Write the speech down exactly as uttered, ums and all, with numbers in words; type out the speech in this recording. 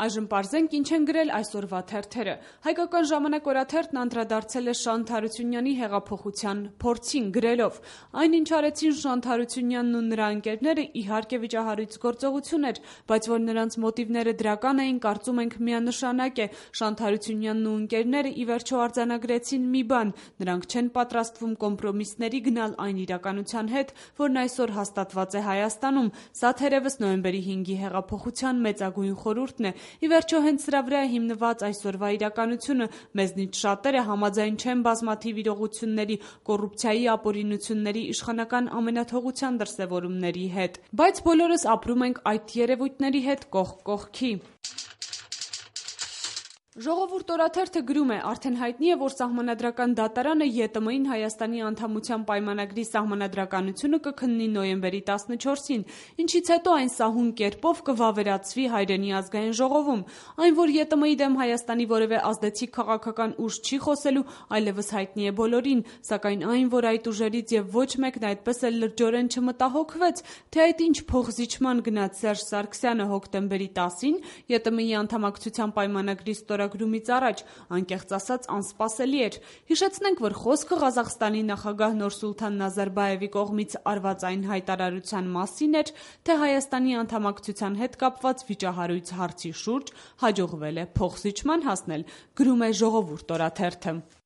Այժմ պարզենք ինչ են գրել այսօրվա թերթերը։ Հայկական ժամանակ օրաթերթն անդրադարձել է Շանթ Հարությունյանի հեղափոխության փորձին գրելով. այն ինչ արեցին Շանթ Հարությունյանն ու նրա ընկերները իհարկե վիճահարույց գործողություն էր, բայց որ նրանց մոտիվները դրական էին, կարծում ենք միանշանակ է։ Շանթ Հարությունյանն ու ընկերները ի վերջո արձանագրեցին մի բան. նրանք չեն պատրաստվում կոմպրոմիսների գնալ այն իրականության հետ, որն այսօր հաստատված է Հայաստանում։ Սա թերևս նոյեմբերի հինգի հեղափոխության մեծագույն խորհուրդն է։ Ի վերջո հենց սրա վրա է հիմնված այսօրվա իրականությունը։ Մեզնից շատերը համաձայն չեն բազմաթիվ իրողությունների, կոռուպցիայի ապօրինությունների, իշխանական ամենաթողության դրսևորումների հետ։ Բայց բոլորս ապրում ենք այդ երևույթների հետ կողք կողքի։ Ժողովուրդ օրաթերթը գրում է. արդեն հայտնի է, որ Սահմանադրական դատարանը ԵՏՄ-ին Հայաստանի անդամության պայմանագրի սահմանադրականությունը կքննի նոյեմբերի տասնչորսին, ինչից հետո այն սահուն կերպով կվավերացվի հայրենի ազգային ժողովում։ Այն, որ ԵՏՄ-ի դեմ Հայաստանի որևէ ազդեցիկ քաղաքական ուժ չի խոսելու, այլևս հայտնի է բոլորին, սակայն այն, որ այդ ուժերից եւ ոչ մեկն այդպես էլ լրջորեն չմտահոգվեց, թե այդ ինչ փոխզիջման գնաց Սերժ Սարգսյանը հոկտեմբերի տասին ԵՏՄ-ի անդամակցության պայմանագրի ստորագրումից առաջ, անկեղծ ասած անսպասելի էր։ Հիշեցնենք, որ խոսքը Ղազախստանի նախագահ Նուրսուլթան Նազարբաևի կողմից արված այն հայտարարության մասին էր, թե Հայաստանի անդամակցության հետ կապված վիճահարույց հարցի շուրջ հաջողվել է փոխզիջման հասնել, գրում է Ժողովուրդ օրաթերթը։